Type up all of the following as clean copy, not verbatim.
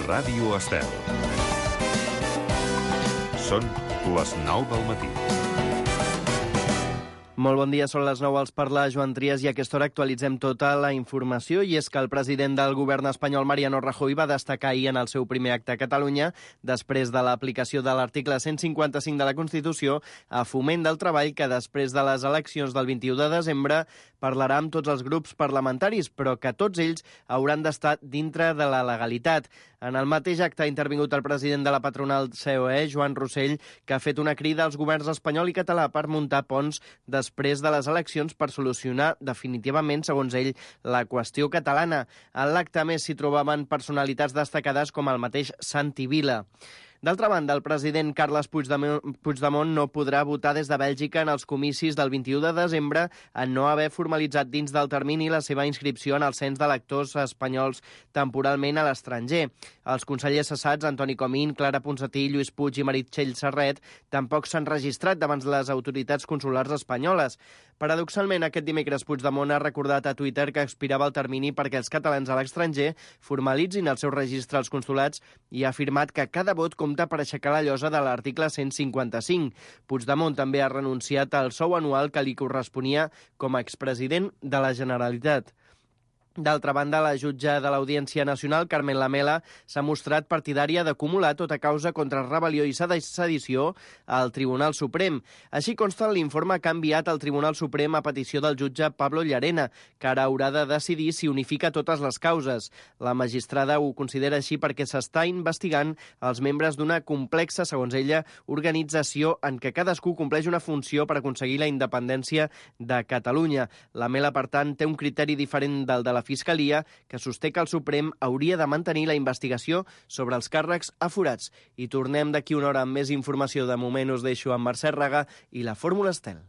Ràdio Estel. Són les 9 del matí. Molt bon dia, són les 9, els parla Joan Trias i a aquesta hora actualitzem tota la informació i és que el president del govern espanyol, Mariano Rajoy, va destacar ahir en el seu primer acte a Catalunya, després de l'aplicació de l'article 155 de la Constitució, a Foment del Treball, que després de les eleccions del 21 de desembre parlarà amb tots els grups parlamentaris, però que tots ells hauran d'estar dintre de la legalitat. En el mateix acte ha intervingut el president de la patronal COE, Joan Rossell, que ha fet una crida als governs espanyol i català per muntar ponts després de les eleccions per solucionar definitivament, segons ell, la qüestió catalana. En l'acte més s'hi trobaven personalitats destacades com el mateix Santi Vila. D'altra banda, el president Carles Puigdemont no podrà votar des de Bèlgica en els comicis del 21 de desembre en no haver formalitzat dins del termini la seva inscripció en el cens d'electors espanyols temporalment a l'estranger. Els consellers cessats, Antoni Comín, Clara Ponsatí, Lluís Puig i Meritxell Serret, tampoc s'han registrat davant les autoritats consulars espanyoles. Paradoxalment, aquest dimecres Puigdemont ha recordat a Twitter que expirava el termini perquè els catalans a l'estranger formalitzin el seu registre als consulats i ha afirmat que cada vot compta per aixecar la llosa de l'article 155. Puigdemont també ha renunciat al sou anual que li corresponia com a expresident de la Generalitat. D'altra banda, la jutge de l'Audiència Nacional, Carmen Lamela, s'ha mostrat partidària d'acumular tota causa contra rebel·lió i sedició al Tribunal Suprem. Així consta en l'informe que ha enviat al Tribunal Suprem a petició del jutge Pablo Llarena, que ara haurà de decidir si unifica totes les causes. La magistrada ho considera així perquè s'està investigant els membres d'una complexa, segons ella, organització en què cadascú compleix una funció per aconseguir la independència de Catalunya. Lamela, per tant, té un criteri diferent del de la Fiscalia, que sosté que el Suprem hauria de mantenir la investigació sobre els càrrecs aforats. I tornem d'aquí una hora amb més informació. De moment us deixo amb Mercè Raga i la Fórmula Estel.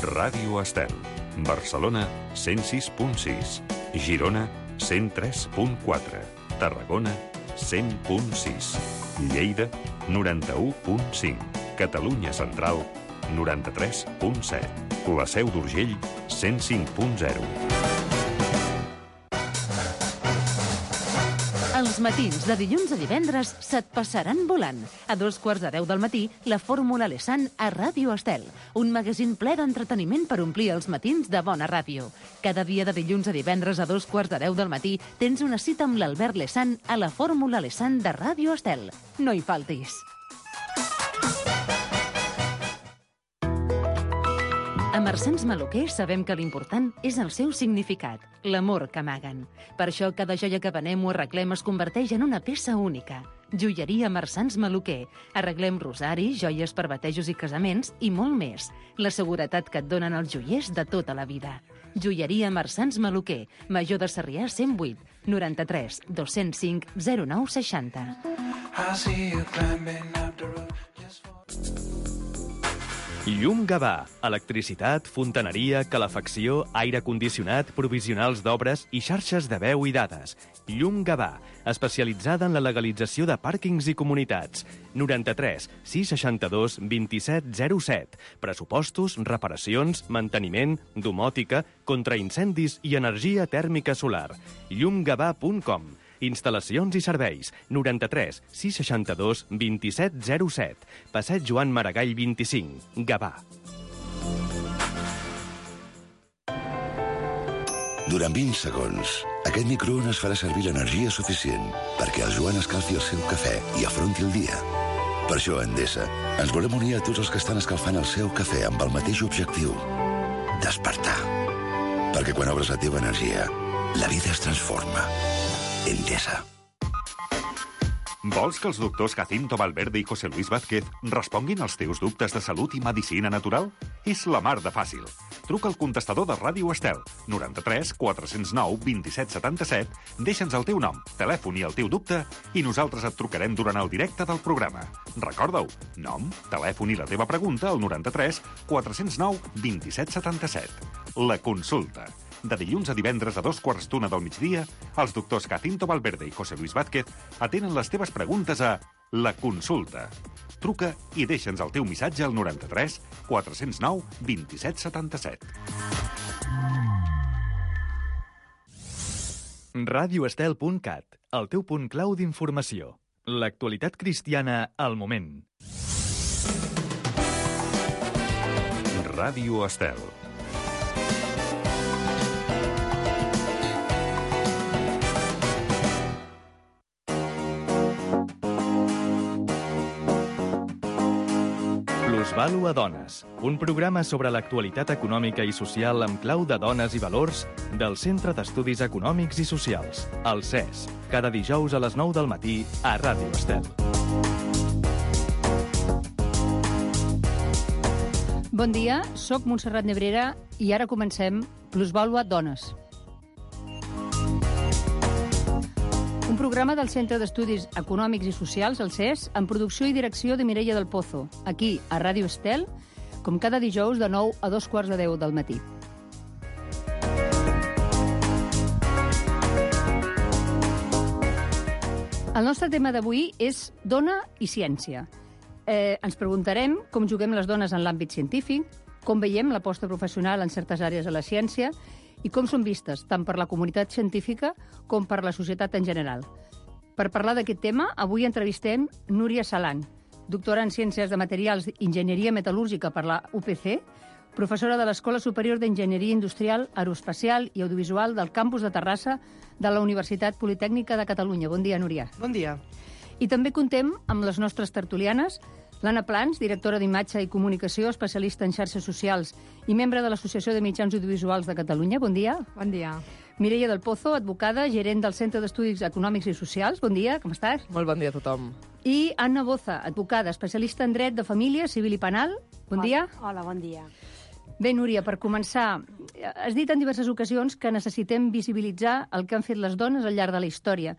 Ràdio Estel. Barcelona, 106.6. Girona, 103.4. Tarragona, 100.6. Lleida, 91.5. Catalunya Central, 93.7. La Seu d'Urgell, 105.0. Els matins de dilluns a divendres se't passaran volant. A 2:15 del matí, la Fórmula Lesan a Ràdio Estel. Un magazín ple d'entreteniment per omplir els matins de bona ràdio. Cada dia de dilluns a divendres a 2:15 del matí tens una cita amb l'Albert Lesan a la Fórmula Lesan de Ràdio Estel. No hi faltis. A Marsans Maluquer sabem que l'important és el seu significat, l'amor que amaguen. Per això cada joia que venem o arreglem es converteix en una peça única. Joieria Marsans Maluquer. Arreglem rosaris, joies per batejos i casaments i molt més. La seguretat que et donen els joiers de tota la vida. Joieria Marsans Maluquer. Major de Sarrià 108 93 205 0960. Llum Gavà. Electricitat, fontaneria, calefacció, aire condicionat, provisionals d'obres i xarxes de veu i dades. Llum Gavà, especialitzada en la legalització de pàrquings i comunitats. 93 662 27 07. Pressupostos, reparacions, manteniment, domòtica, contraincendis i energia tèrmica solar. llumgavà.com. Instal·lacions i serveis. 93 662 27 07. Passeig Joan Maragall 25. Gavà. Durant 20 segons, aquest microones farà servir l'energia suficient perquè el Joan escalfi el seu cafè i afronti el dia. Per això, a Endesa, ens volem unir a tots els que estan escalfant el seu cafè amb el mateix objectiu: despertar. Perquè quan obres la teva energia, la vida es transforma. Endesa. Vols que els doctors Jacinto Valverde i José Luis Vázquez responguin als teus dubtes de salut i medicina natural? És la mar de fàcil. Truca al contestador de Ràdio Estel, 93 409 27 77, deixa'ns el teu nom, telèfon i el teu dubte i nosaltres et trucarem durant el directe del programa. Recorda-ho, nom, telèfon i la teva pregunta al 93 409 27 77. La consulta. De dilluns a divendres a 2:15 del migdia, els doctors Jacinto Valverde i José Luis Vázquez atenen les teves preguntes a La Consulta. Truca i deixa'ns el teu missatge al 93 409 27 77. radioestel.cat, el teu punt clau d'informació. L'actualitat cristiana al moment. Ràdio Estel. Plusvàlua Dones, un programa sobre l'actualitat econòmica i social amb clau de dones i valors del Centre d'Estudis Econòmics i Socials, el CES, cada dijous a les 9 del matí a Ràdio Estel. Bon dia, sóc Montserrat Nebrera i ara comencem Plusvàlua Dones. Un programa del Centre d'Estudis Econòmics i Socials, el CES, amb producció i direcció de Mireia del Pozo, aquí, a Ràdio Estel, com cada dijous de 9 a 2:15 del matí. El nostre tema d'avui és dona i ciència. Ens preguntarem com juguem les dones en l'àmbit científic, com veiem l'aposta professional en certes àrees de la ciència i com són vistes tant per la comunitat científica com per la societat en general. Per parlar d'aquest tema, avui entrevistem Núria Salan, doctora en Ciències de Materials i Enginyeria Metal·lúrgica per la UPC, professora de l'Escola Superior d'Enginyeria Industrial, Aeroespacial i Audiovisual del campus de Terrassa de la Universitat Politècnica de Catalunya. Bon dia, Núria. Bon dia. I també contem amb les nostres tertulianes, l'Anna Plans, directora d'Imatge i Comunicació, especialista en xarxes socials i membre de l'Associació de Mitjans Audiovisuals de Catalunya. Bon dia. Bon dia. Mireia del Pozo, advocada, gerent del Centre d'Estudis Econòmics i Socials. Bon dia, com estàs? Molt bon dia a tothom. I Anna Boza, advocada, especialista en dret de família, civil i penal. Bon dia. Hola, bon dia. Bé, Núria, per començar, has dit en diverses ocasions que necessitem visibilitzar el que han fet les dones al llarg de la història.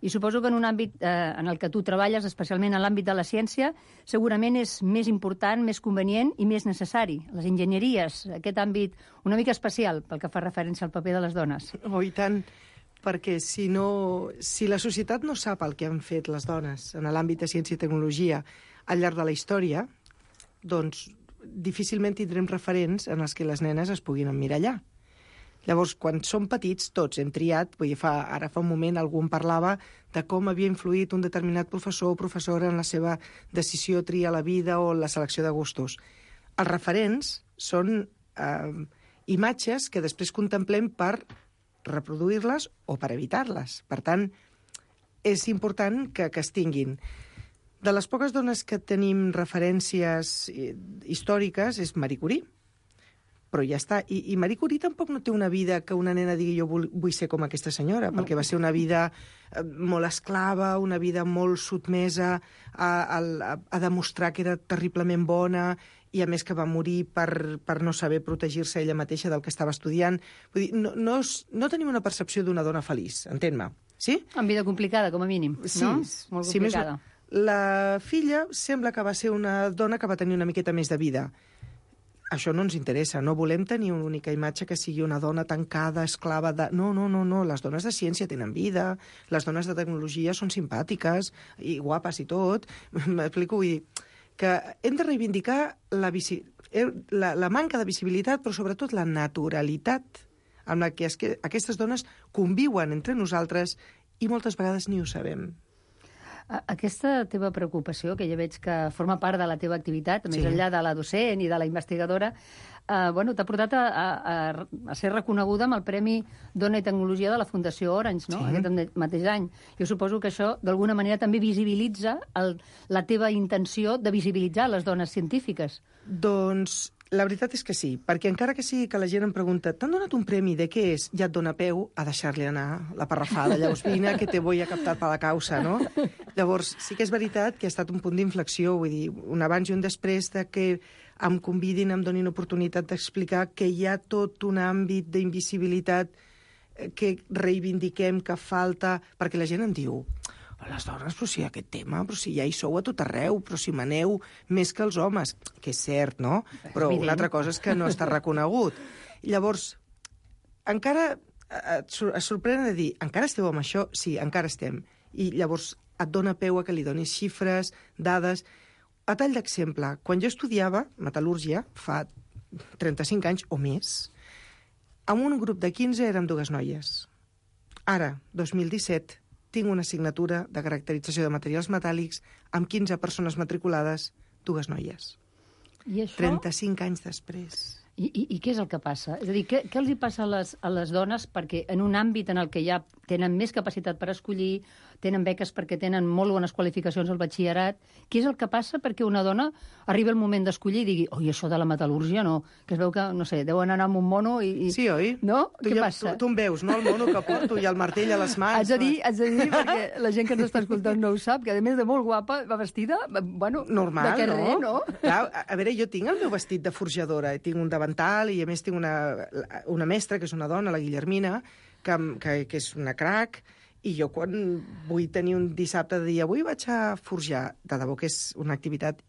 I suposo que en un àmbit en el que tu treballes, especialment en l'àmbit de la ciència, segurament és més important, més convenient i més necessari. Les enginyeries, aquest àmbit una mica especial pel que fa referència al paper de les dones. Oh, i tant, perquè si la societat no sap el que han fet les dones en l'àmbit de ciència i tecnologia al llarg de la història, doncs difícilment tindrem referents en els que les nenes es puguin emmirallar. Llavors, quan som petits, tots hem triat, ara fa un moment algú en parlava de com havia influït un determinat professor o professora en la seva decisió, triar la vida o la selecció de gustos. Els referents són imatges que després contemplem per reproduir-les o per evitar-les. Per tant, és important que es tinguin. De les poques dones que tenim referències històriques és Marie Curie, però ja està. I Marie Curie tampoc no té una vida que una nena digui jo vull ser com aquesta senyora, perquè va ser una vida molt esclava, una vida molt sotmesa a demostrar que era terriblement bona i a més que va morir per no saber protegir-se ella mateixa del que estava estudiant. Vull dir, no tenim una percepció d'una dona feliç, entén-me. Sí? Amb vida complicada, com a mínim, sí, no? Molt complicada. Sí, la filla sembla que va ser una dona que va tenir una miqueta més de vida. Això no ens interessa, no volem tenir una única imatge que sigui una dona tancada, esclava de... No, les dones de ciència tenen vida, les dones de tecnologia són simpàtiques i guapes i tot. M'explico, vull dir que hem de reivindicar la manca de visibilitat, però sobretot la naturalitat amb la que aquestes dones conviuen entre nosaltres i moltes vegades ni ho sabem. Aquesta teva preocupació, que ja veig que forma part de la teva activitat, més enllà de la docent i de la investigadora, t'ha portat a ser reconeguda amb el Premi Dona i Tecnologia de la Fundació Orange, no? Sí. Aquest mateix any. Jo suposo que això, d'alguna manera, també visibilitza la teva intenció de visibilitzar les dones científiques. Doncs la veritat és que sí, perquè encara que sigui que la gent em pregunta t'han donat un premi, de què és? Ja et dona peu a deixar-li anar la parrafada. Llavors, vine, que te voy a captar per la causa, no? Llavors, sí que és veritat que ha estat un punt d'inflexió, vull dir, un abans i un després de que em convidin, em donin oportunitat d'explicar que hi ha tot un àmbit d'invisibilitat que reivindiquem, que falta, perquè la gent em diu les dones, però si aquest tema, però si ja hi sou a tot arreu, però si maneu més que els homes, que és cert, no? Però una altra cosa és que no està reconegut. I llavors, encara es sorprèn de dir, encara esteu amb això? Sí, encara estem. I llavors et dona peu a que li donis xifres, dades. A tall d'exemple, quan jo estudiava metal·lúrgia, fa 35 anys o més, amb un grup de 15 érem 2 noies. Ara, 2017, tinc una assignatura de caracterització de materials metàl·lics amb 15 persones matriculades, 2 noies. I això... 35 anys després. I què és el que passa? És a dir, què els hi passa a les dones perquè en un àmbit en el que ja tenen més capacitat per escollir, tenen beques perquè tenen molt bones qualificacions al batxillerat, què és el que passa perquè una dona arriba el moment d'escollir i digui oi, això de la metal·lúrgia no, que es veu que, no sé, deuen anar amb un mono i... Sí, oi? No? Què passa? Tu em veus, no? El mono que porto i el martell a les mans. Haig de dir, perquè la gent que ens està escoltant no ho sap, que a més de molt guapa, va vestida, bueno, normal, de carrer, no? Clar, a veure, jo tinc el meu vestit de forjadora, tinc un davantal i a més tinc una mestra, que és una dona, la Guillermina, que és una crac, i jo quan vull tenir un dissabte de dir avui vaig a forjar, de debò que és una activitat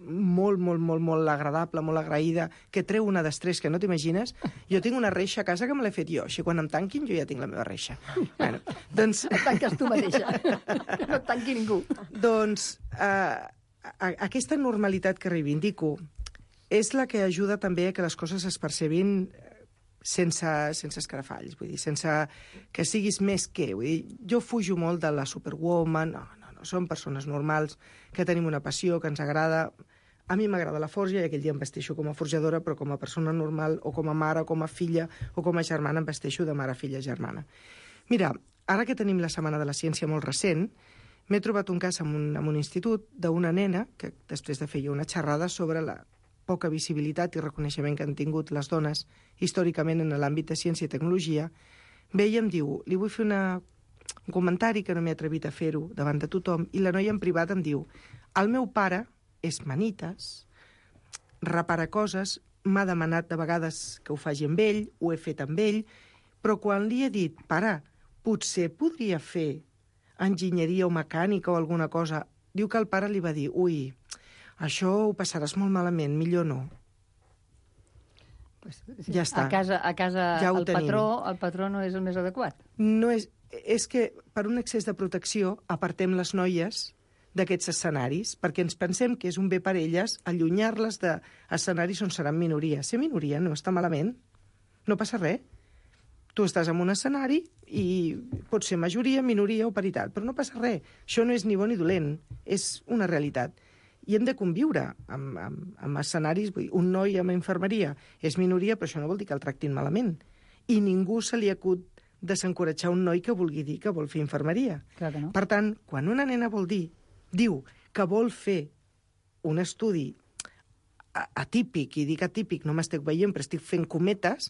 molt agradable, molt agraïda, que treu una d'estrès que no t'imagines. Jo tinc una reixa a casa que me l'he fet jo, així quan em tanquin jo ja tinc la meva reixa. Bueno, doncs... Et tanques tu mateixa, que no et tanqui ningú. Doncs aquesta normalitat que reivindico és la que ajuda també a que les coses es percebin sense escarafalls, vull dir, sense que siguis més que. Vull dir, jo fujo molt de la superwoman, no, som persones normals, que tenim una passió, que ens agrada. A mi m'agrada la forja i aquell dia em vesteixo com a forjadora, però com a persona normal, o com a mare, o com a filla, o com a germana, em vesteixo de mare, filla, germana. Mira, ara que tenim la Setmana de la Ciència molt recent, m'he trobat un cas en un institut d'una nena que després de fer una xerrada sobre la poca visibilitat i reconeixement que han tingut les dones històricament en l'àmbit de ciència i tecnologia, ve i em diu, li vull fer un comentari que no m'he atrevit a fer-ho davant de tothom, i la noia en privat em diu, el meu pare és manites, repara coses, m'ha demanat de vegades que ho faci amb ell, ho he fet amb ell, però quan li he dit, pare, potser podria fer enginyeria o mecànica o alguna cosa, diu que el pare li va dir, ui, això ho passaràs molt malament, millor no. Pues, sí, ja està. A casa ja el patró no és el més adequat. No és que per un excés de protecció apartem les noies d'aquests escenaris, perquè ens pensem que és un bé per elles allunyar-les d'escenaris on seran minoria. Ser minoria no està malament, no passa res. Tu estàs en un escenari i pot ser majoria, minoria o paritat, però no passa res. Això no és ni bo ni dolent, és una realitat. I hem de conviure amb escenaris. Un noi amb infermeria és minoria, però això no vol dir que el tractin malament. I ningú se li acut desencoratjar un noi que vulgui dir que vol fer infermeria. Clar que no. Per tant, quan una nena diu que vol fer un estudi atípic, i dic atípic, no m'estic veient, però estic fent cometes,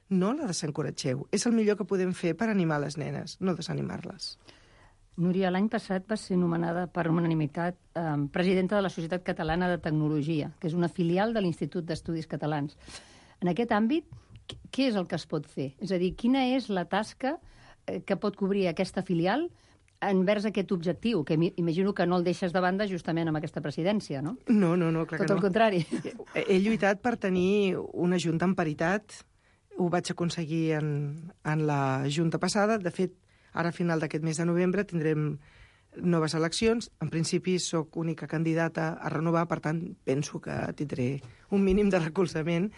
no la desencoratgeu. És el millor que podem fer per animar les nenes, no desanimar-les. Núria, l'any passat va ser nomenada per unanimitat presidenta de la Societat Catalana de Tecnologia, que és una filial de l'Institut d'Estudis Catalans. En aquest àmbit, què és el que es pot fer? És a dir, quina és la tasca que pot cobrir aquesta filial envers aquest objectiu, que imagino que no el deixes de banda justament amb aquesta presidència, no? No, clar que no. Tot el contrari. He lluitat per tenir una junta en paritat. Ho vaig aconseguir en la junta passada. De fet, ara, a final d'aquest mes de novembre, tindrem noves eleccions. En principi, sóc única candidata a renovar, per tant, penso que tindré un mínim de recolzament.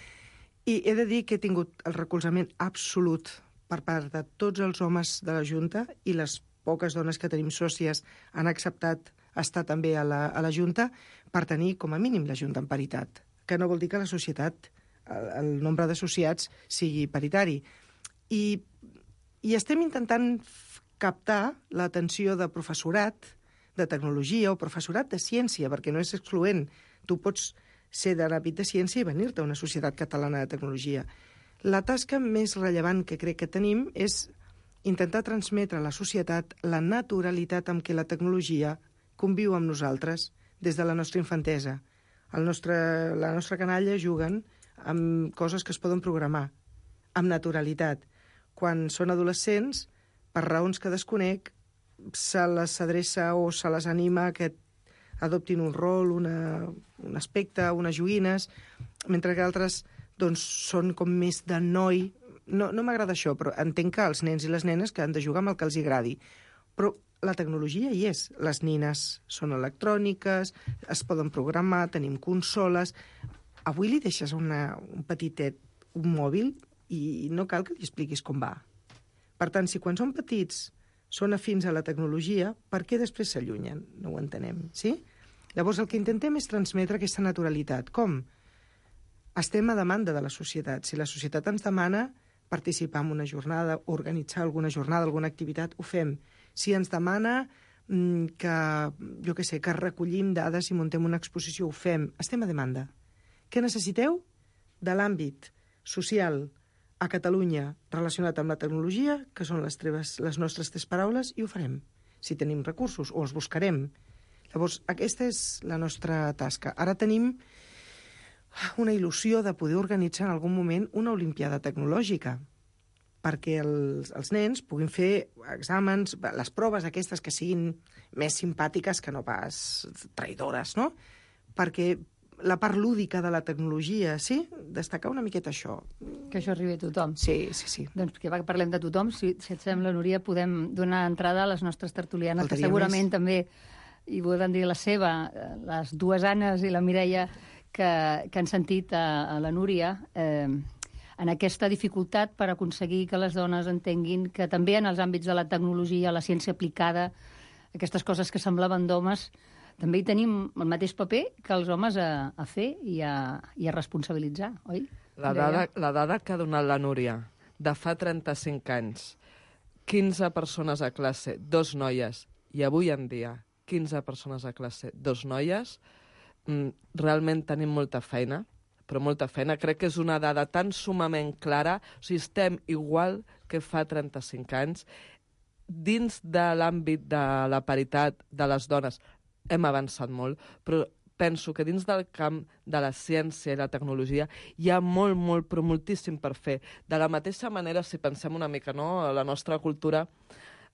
I he de dir que he tingut el recolzament absolut per part de tots els homes de la Junta, i les poques dones que tenim sòcies han acceptat estar també a la Junta, per tenir, com a mínim, la Junta en paritat. Que no vol dir que la societat, el nombre d'associats, sigui paritari. I estem intentant captar l'atenció de professorat de tecnologia o professorat de ciència, perquè no és excloent. Tu pots ser de l'àmbit de ciència i venir-te a una societat catalana de tecnologia. La tasca més rellevant que crec que tenim és intentar transmetre a la societat la naturalitat amb què la tecnologia conviu amb nosaltres des de la nostra infantesa. La nostra canalla juguen amb coses que es poden programar, amb naturalitat. Quan són adolescents, per raons que desconec, se les adreça o se les anima que adoptin un rol, un aspecte, unes joguines, mentre que altres doncs, són com més de noi. No m'agrada això, però entenc que els nens i les nenes que han de jugar amb el que els agradi. Però la tecnologia hi és. Les nines són electròniques, es poden programar, tenim consoles. Avui li deixes un petitet un mòbil i no cal que li expliquis com va. Per tant, si quan són petits són afins a la tecnologia, per què després s'allunyen? No ho entenem, sí? Llavors, el que intentem és transmetre aquesta naturalitat. Com? Estem a demanda de la societat. Si la societat ens demana participar en una jornada, organitzar alguna jornada, alguna activitat, ho fem. Si ens demana que, jo què sé, que recollim dades i muntem una exposició, ho fem. Estem a demanda. Què necessiteu? De l'àmbit social a Catalunya relacionat amb la tecnologia, que són les nostres 3 paraules, i ho farem. Si tenim recursos, o els buscarem. Llavors, aquesta és la nostra tasca. Ara tenim una il·lusió de poder organitzar en algun moment una olimpiada tecnològica, perquè els nens puguin fer exàmens, les proves aquestes que siguin més simpàtiques que no pas traïdores, no? Perquè la part lúdica de la tecnologia, sí? Destacar una miqueta això. Que això arribi a tothom. Sí. Doncs que parlem de tothom, si et sembla, Núria, podem donar entrada a les nostres tertulianes, que segurament també hi volen dir la seva, les 2 Annes i la Mireia, que han sentit a la Núria en aquesta dificultat per aconseguir que les dones entenguin que també en els àmbits de la tecnologia, la ciència aplicada, aquestes coses que semblaven d'homes, també hi tenim el mateix paper que els homes a fer i a responsabilitzar, oi? La dada que ha donat la Núria de fa 35 anys, 15 persones a classe, 2 noies, i avui en dia 15 persones a classe, 2 noies, realment tenim molta feina, però molta feina. Crec que és una dada tan sumament clara. O sigui, estem igual que fa 35 anys. Dins de l'àmbit de la paritat de les dones hem avançat molt, però penso que dins del camp de la ciència i la tecnologia hi ha molt, però moltíssim per fer. De la mateixa manera, si pensem una mica, no?, a la nostra cultura,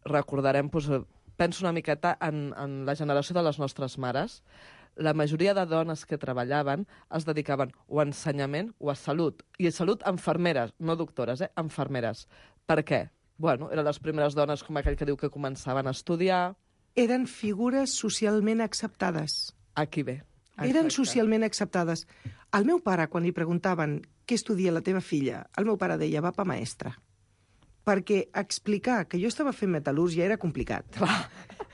recordarem, penso una miqueta en la generació de les nostres mares. La majoria de dones que treballaven es dedicaven o a ensenyament o a salut. I a salut, infermeres, no doctores, infermeres. Per què? Bueno, eren les primeres dones, com aquell que diu, que començaven a estudiar. Eren figures socialment acceptades. Aquí ve. Eren socialment acceptades. Al meu pare, quan li preguntaven què estudia la teva filla, el meu pare deia, va pa maestra. Perquè explicar que jo estava fent metal·lúrgia era complicat.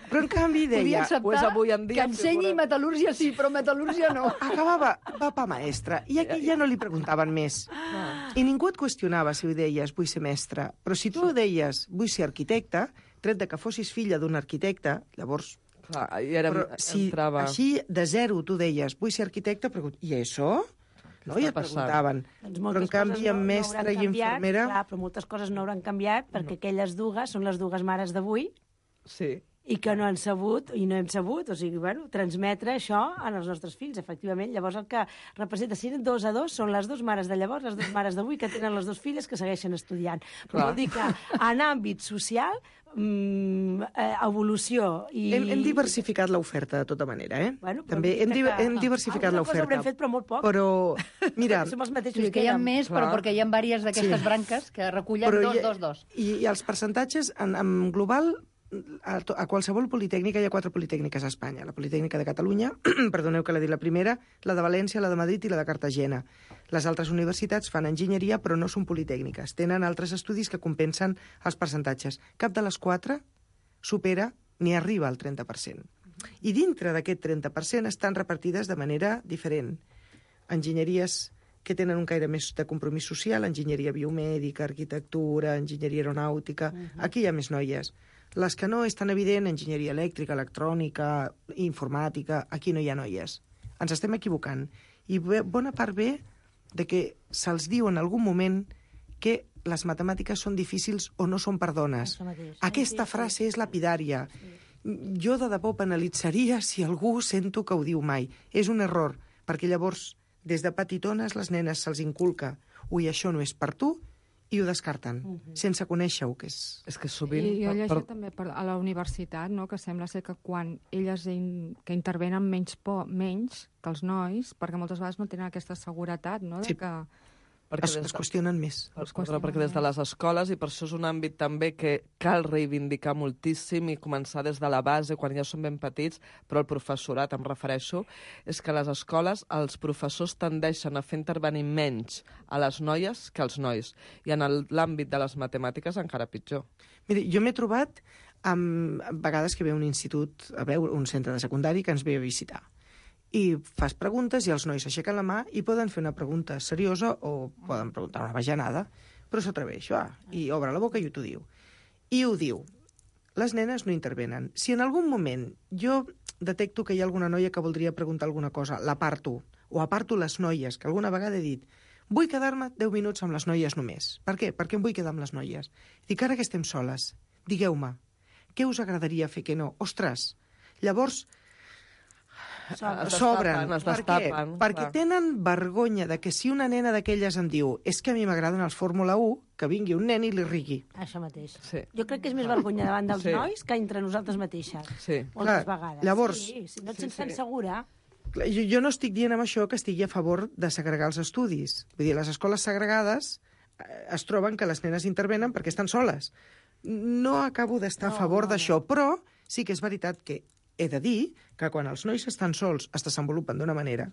Però en canvi deia... Podia acceptar que ensenyi metal·lúrgia sí, però metal·lúrgia no. Acabava, va pa maestra. I aquí ja no li preguntaven més. I ningú et qüestionava si ho deies, vull ser mestra. Però si tu deies, vull ser arquitecte, tret de que fossis filla d'un arquitecte, llavors... Clar, però si així de zero tu deies, vull ser arquitecte, i això? No? I et preguntaven. Però en canvi, amb mestra i infermera... Clar, però moltes coses no hauran canviat, perquè aquelles dues són les dues mares d'avui. Sí. I que no han sabut, i no hem sabut, o sigui, bueno, transmetre això als nostres fills, efectivament. Llavors el que representa, si eren 2 a 2, són les 2 mares de llavors, les 2 mares d'avui, que tenen les 2 filles que segueixen estudiant. Però vol dir que en àmbit social, evolució i... Hem diversificat l'oferta, de tota manera, eh? Bueno, també hem diversificat l'oferta. Alguna cosa haurem fet, però molt poc. Però, mira... Som els mateixos que hi ha més, però perquè hi ha diverses d'aquestes branques que recullen 2. I els percentatges, en global... A qualsevol politècnica, hi ha 4 politècniques a Espanya. La Politècnica de Catalunya, perdoneu que la dit la primera, la de València, la de Madrid i la de Cartagena. Les altres universitats fan enginyeria, però no són politècniques. Tenen altres estudis que compensen els percentatges. Cap de les 4 supera ni arriba al 30%. I dintre d'aquest 30% estan repartides de manera diferent. Enginyeries que tenen un caire més de compromís social, enginyeria biomèdica, arquitectura, enginyeria aeronàutica... Aquí hi ha més noies. Les que no és tan evident, enginyeria elèctrica, electrònica, informàtica, aquí no hi ha noies. Ens estem equivocant. I bona part ve de que se'ls diu en algun moment que les matemàtiques són difícils o no són per dones. Aquesta frase és lapidària. Jo de debò penalitzaria si algú sento que ho diu mai. És un error, perquè llavors, des de petitones, les nenes se'ls inculca ui, això no és per tu, i ho descarten, sense conèixer-ho, que és... És que sovint... I jo he llegit també a la universitat, no?, que sembla ser que quan elles que intervenen menys que els nois, perquè moltes vegades no tenen aquesta seguretat, no?, de que Es qüestionen més. Perquè des de les escoles, i per això és un àmbit també que cal reivindicar moltíssim i començar des de la base, quan ja són ben petits, però el professorat, em refereixo, és que a les escoles els professors tendeixen a fer intervenir menys a les noies que als nois. I en l'àmbit de les matemàtiques encara pitjor. Miri, jo m'he trobat a vegades que ve un institut, un centre de secundari que ens ve a visitar. I fas preguntes i els nois s'aixequen la mà i poden fer una pregunta seriosa o poden preguntar una bajanada, però s'atreveix, i obre la boca i t'ho diu. I ho diu. Les nenes no intervenen. Si en algun moment jo detecto que hi ha alguna noia que voldria preguntar alguna cosa, l'aparto, o aparto les noies, que alguna vegada he dit vull quedar-me 10 minuts amb les noies només. Per què? Perquè em vull quedar amb les noies. Dic, ara que estem soles, digueu-me, què us agradaria fer que no? Ostres, llavors s'obren. Es destapen. Per què? Perquè tenen vergonya de que si una nena d'aquelles em diu és que a mi m'agraden els Fórmula 1, que vingui un nen i li rigui. Això mateix. Sí. Jo crec que és més vergonya davant dels nois que entre nosaltres mateixes. Sí. Moltes vegades. Llavors, si no et sents tan segura... Jo no estic dient amb això que estigui a favor de segregar els estudis. Vull dir, les escoles segregades es troben que les nenes intervenen perquè estan soles. No acabo d'estar a favor d'això, però sí que és veritat que he de dir que quan els nois estan sols es desenvolupen d'una manera,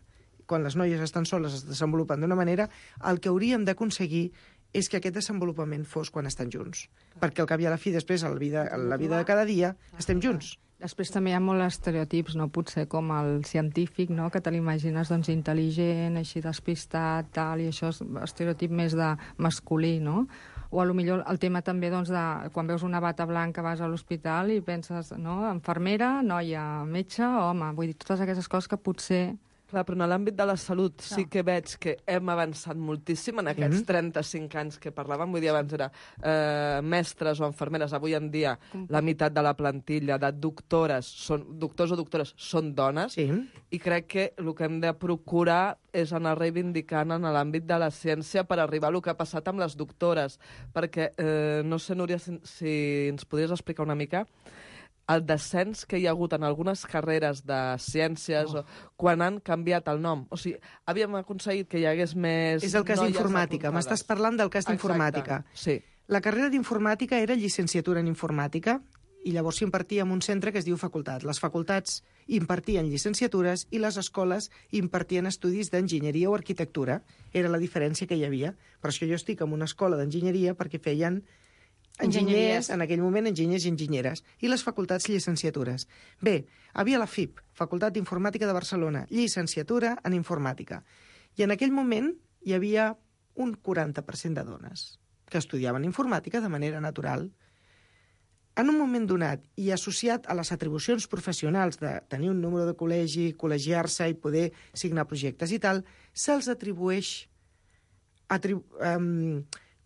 quan les noies estan soles es desenvolupen d'una manera, el que hauríem d'aconseguir és que aquest desenvolupament fos quan estan junts. Perquè al cap i a la fi, després, a la vida de cada dia, estem junts. Després també hi ha molts estereotips, no? Potser com el científic, no? Que te l'imagines doncs, intel·ligent, així despistat, tal, i això és estereotip més de masculí, no? O a lo millor el tema també doncs, de quan veus una bata blanca vas a l'hospital i penses, no? Infermera, noia, metge, home. Vull dir, totes aquestes coses que potser... Clar, però en l'àmbit de la salut sí que veig que hem avançat moltíssim en aquests 35 anys que parlàvem. Vull dir, abans era mestres o infermeres. Avui en dia la meitat de la plantilla de doctors o doctores són dones. Sí. I crec que el que hem de procurar és anar reivindicant en l'àmbit de la ciència per arribar a el que ha passat amb les doctores. Perquè, no sé, Núria, si ens podries explicar una mica el descens que hi ha hagut en algunes carreres de ciències quan han canviat el nom. O sigui, havíem aconseguit que hi hagués més... És el cas d'informàtica. M'estàs parlant del cas d'informàtica. Sí. La carrera d'informàtica era llicenciatura en informàtica i llavors s'impartia en un centre que es diu facultat. Les facultats impartien llicenciatures i les escoles impartien estudis d'enginyeria o arquitectura. Era la diferència que hi havia. Per això jo estic en una escola d'enginyeria perquè feien enginyers, en aquell moment enginyers i enginyeres, i les facultats llicenciatures. Bé, havia la FIP, Facultat d'Informàtica de Barcelona, llicenciatura en informàtica. I en aquell moment hi havia un 40% de dones que estudiaven informàtica de manera natural. En un moment donat, i associat a les atribucions professionals de tenir un número de col·legi, col·legiar-se i poder signar projectes i tal, se'ls atribueix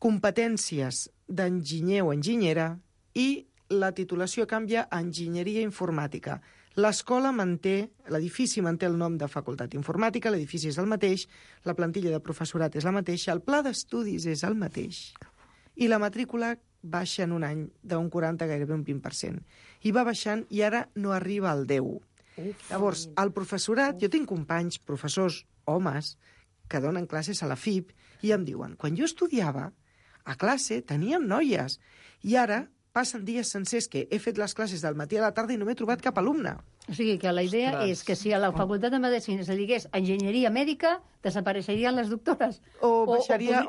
competències d'enginyer o enginyera i la titulació canvia a enginyeria informàtica. L'escola manté, l'edifici manté el nom de Facultat d'Informàtica, l'edifici és el mateix, la plantilla de professorat és la mateixa, el pla d'estudis és el mateix. I la matrícula baixa en un any d'un 40 a gairebé un 20%. I va baixant i ara no arriba al 10. Llavors, el professorat, jo tinc companys, professors, homes, que donen classes a la FIP i em diuen, quan jo estudiava, a classe teníem noies i ara passen dies sencers que he fet les classes del matí a la tarda i no m'he trobat cap alumne. O sigui que la idea és que si a la Facultat de Medicina se digués enginyeria mèdica, desapareixerien les doctores. O baixaria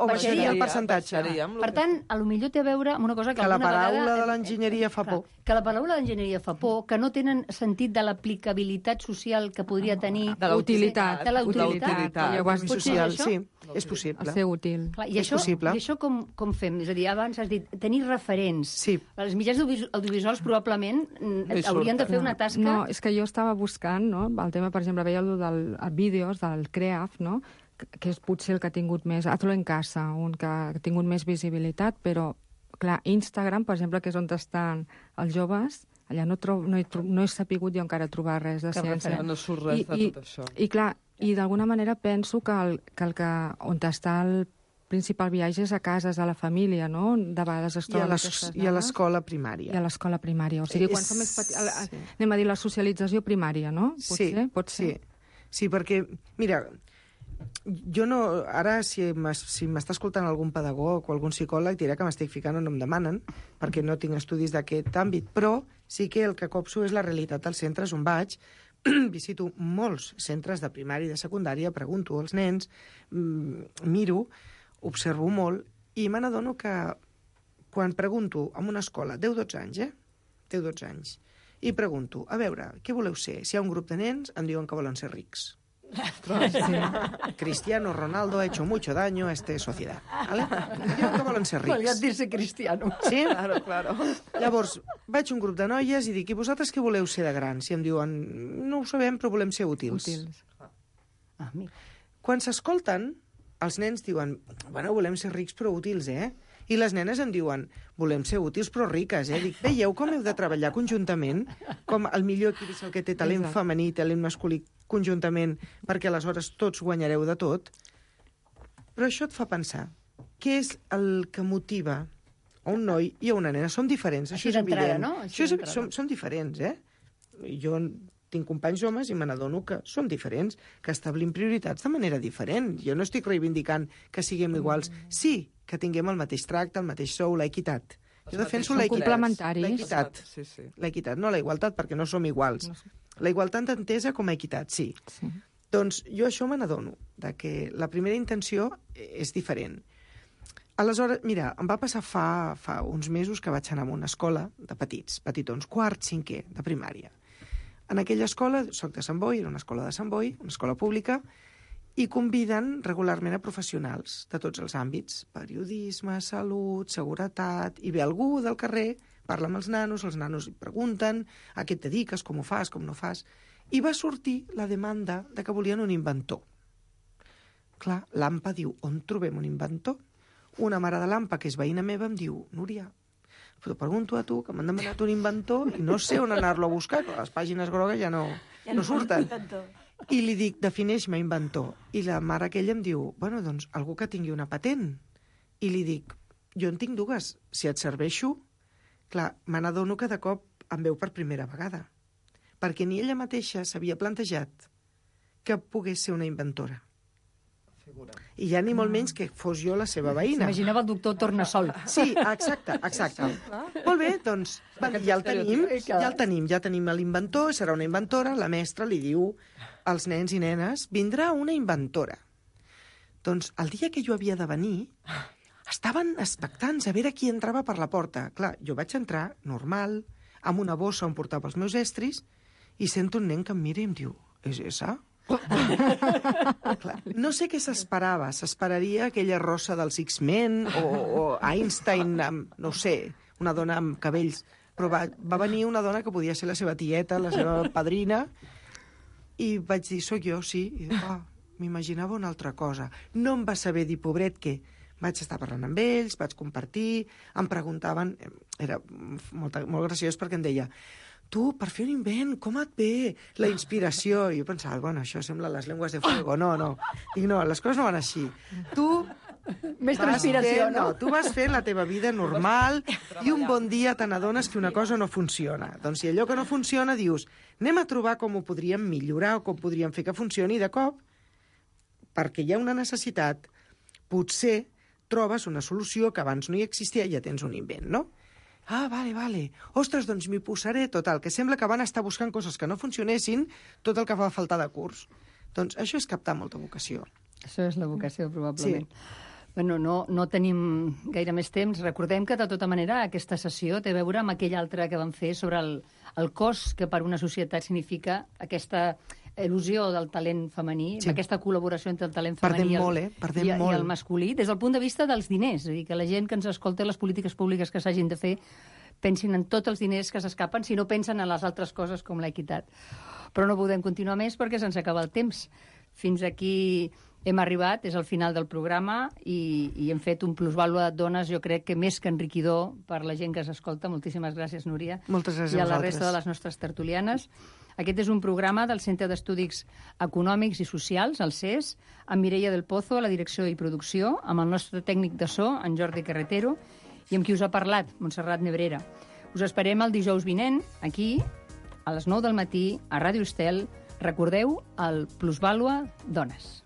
el percentatge. Per tant, a lo millor té a veure amb una cosa que la paraula vegada... de l'enginyeria fa por. Que la paraula d'enginyeria fa por, que no tenen sentit de l'aplicabilitat social que podria tenir... De la utilitat. De la utilitat. Social, sí, és possible. El ser útil. Clar, I això com fem? És a dir, abans has dit, tenir referents. Sí. Els mitjans audiovisuals probablement haurien de fer una tasca... No, és que jo estava buscant, no? El tema, per exemple, veia el dels vídeos del CREAF, no? Que és potser el que ha tingut més... Hazlo en casa, un que ha tingut més visibilitat, però, clar, Instagram, per exemple, que és on estan els joves, allà no he sapigut jo encara trobar res de ciència. No surt res de tot això. I clar, i d'alguna manera penso que on està el principal viatge és a casa, és a la família, no? De vegades es troben aquestes I a l'escola primària. I a l'escola primària. O sigui, quan som més petits... Anem a dir la socialització primària, no? Pot ser? Sí, perquè, mira, Jo no... Ara, si m'està escoltant algun pedagog o algun psicòleg, diré que m'estic ficant on em demanen, perquè no tinc estudis d'aquest àmbit, però sí que el que copso és la realitat dels centres on vaig. Visito molts centres de primària i de secundària, pregunto als nens, miro, observo molt, i me n'adono que quan pregunto en una escola, 10-12 anys, 10-12 anys, i pregunto, a veure, què voleu ser? Si hi ha un grup de nens, em diuen que volen ser rics. Cristiano Ronaldo ha hecho mucho daño a esta sociedad. ¿Vale? Diuen que volen ser rics. Malgrat dir-se cristiano. Sí? Claro. Llavors, vaig a un grup de noies i dic, i vosaltres què voleu ser de grans? I em diuen, no ho sabem, però volem ser útils. Quan s'escolten, els nens diuen, bueno, volem ser rics però útils, I les nenes em diuen, volem ser útils però riques, Dic, veieu com heu de treballar conjuntament? Com el millor equip és el que té talent femení i talent masculí conjuntament, perquè aleshores tots guanyareu de tot. Però això et fa pensar, què és el que motiva a un noi i a una nena? Som diferents, això és evident. No? Som diferents, Jo tinc companys homes i me n'adono que som diferents, que establim prioritats de manera diferent. Jo no estic reivindicant que siguem iguals. Sí, que tinguem el mateix tracte, el mateix sou, l'equitat. Jo defenso l'equitat. L'equitat, no la igualtat, perquè no som iguals. La igualtat entesa com a equitat, sí. Doncs jo això me n'adono, que la primera intenció és diferent. Aleshores, mira, em va passar fa uns mesos que vaig anar a una escola de petitons, quart, cinquè, de primària. En aquella escola, soc de Sant Boi, era una escola de Sant Boi, una escola pública, i conviden regularment a professionals de tots els àmbits, periodisme, salut, seguretat, i ve algú del carrer, parla amb els nanos hi pregunten a què et dediques, com ho fas, com no fas, i va sortir la demanda de que volien un inventor. Clar, l'AMPA diu, on trobem un inventor? Una mare de l'AMPA, que és veïna meva, em diu, Núria, però pregunto a tu, que m'han demanat un inventor i no sé on anar-lo a buscar, que les pàgines grogues ja no surten. I li dic, defineix-me inventor. I la mare aquella em diu, bueno, doncs, algú que tingui una patent. I li dic, jo en tinc dues, si et serveixo... Clar, me n'adono que de cop em veu per primera vegada, perquè ni ella mateixa s'havia plantejat que pogués ser una inventora. I ja ni molt menys que fos jo la seva veïna. S'imaginava el doctor Tornasol. Sí, exacte. Molt bé, doncs, ja el tenim, ja tenim l'inventor, serà una inventora, la mestra li diu als nens i nenes, vindrà una inventora. Doncs el dia que jo havia de venir, estaven expectants a veure qui entrava per la porta. Clar, jo vaig entrar, normal, amb una bossa on portava els meus estris, i sento un nen que em mira i em diu, és esa? Clar, no sé què s'esperava. S'esperaria aquella rossa dels X-Men o Einstein amb, no sé, una dona amb cabells. Però va venir una dona que podia ser la seva tieta, la seva padrina, i vaig dir, soc jo, sí. I m'imaginava una altra cosa. No em va saber dir, pobret, què. Vaig estar parlant amb ells, vaig compartir, em preguntaven... Era molt graciós perquè em deia, tu, per fer un invent, com et ve la inspiració? I jo pensava, bueno, això sembla les llengües de fuego. No. Dic, no, les coses no van així. Tu més transpiració, no? Tu vas fent la teva vida normal i un bon dia te n'adones que una cosa no funciona. Doncs si allò que no funciona dius, anem a trobar com ho podríem millorar o com podríem fer que funcioni, i de cop, perquè hi ha una necessitat, potser trobes una solució que abans no hi existia i ja tens un invent, no? Ah, vale. Ostres, doncs m'hi posaré. Total, que sembla que van estar buscant coses que no funcionessin, tot el que va faltar de curs. Doncs això és captar molta vocació. Això és la vocació, probablement. Sí. Bueno, no tenim gaire més temps. Recordem que, de tota manera, aquesta sessió té a veure amb aquell altre que vam fer sobre el cost que per una societat significa aquesta il·lusió del talent femení, aquesta col·laboració entre el talent femení i el masculí, des del punt de vista dels diners. És a dir, que la gent que ens escolta, les polítiques públiques que s'hagin de fer, pensin en tots els diners que s'escapen, si no pensen en les altres coses com l'equitat. Però no podem continuar més perquè se'ns acaba el temps. Fins aquí hem arribat, és el final del programa, i hem fet un plusvàlua de dones, jo crec que més que enriquidor per la gent que s'escolta. Moltíssimes gràcies, Núria. Moltes gràcies a vosaltres. I a la resta de les nostres tertulianes. Aquest és un programa del Centre d'Estudis Econòmics i Socials, el CES, amb Mireia del Pozo a la direcció i producció, amb el nostre tècnic de so, en Jordi Carretero, i amb qui us ha parlat, Montserrat Nebrera. Us esperem el dijous vinent, aquí, a les 9 del matí, a Ràdio Estel. Recordeu el Plusvàlua Dones.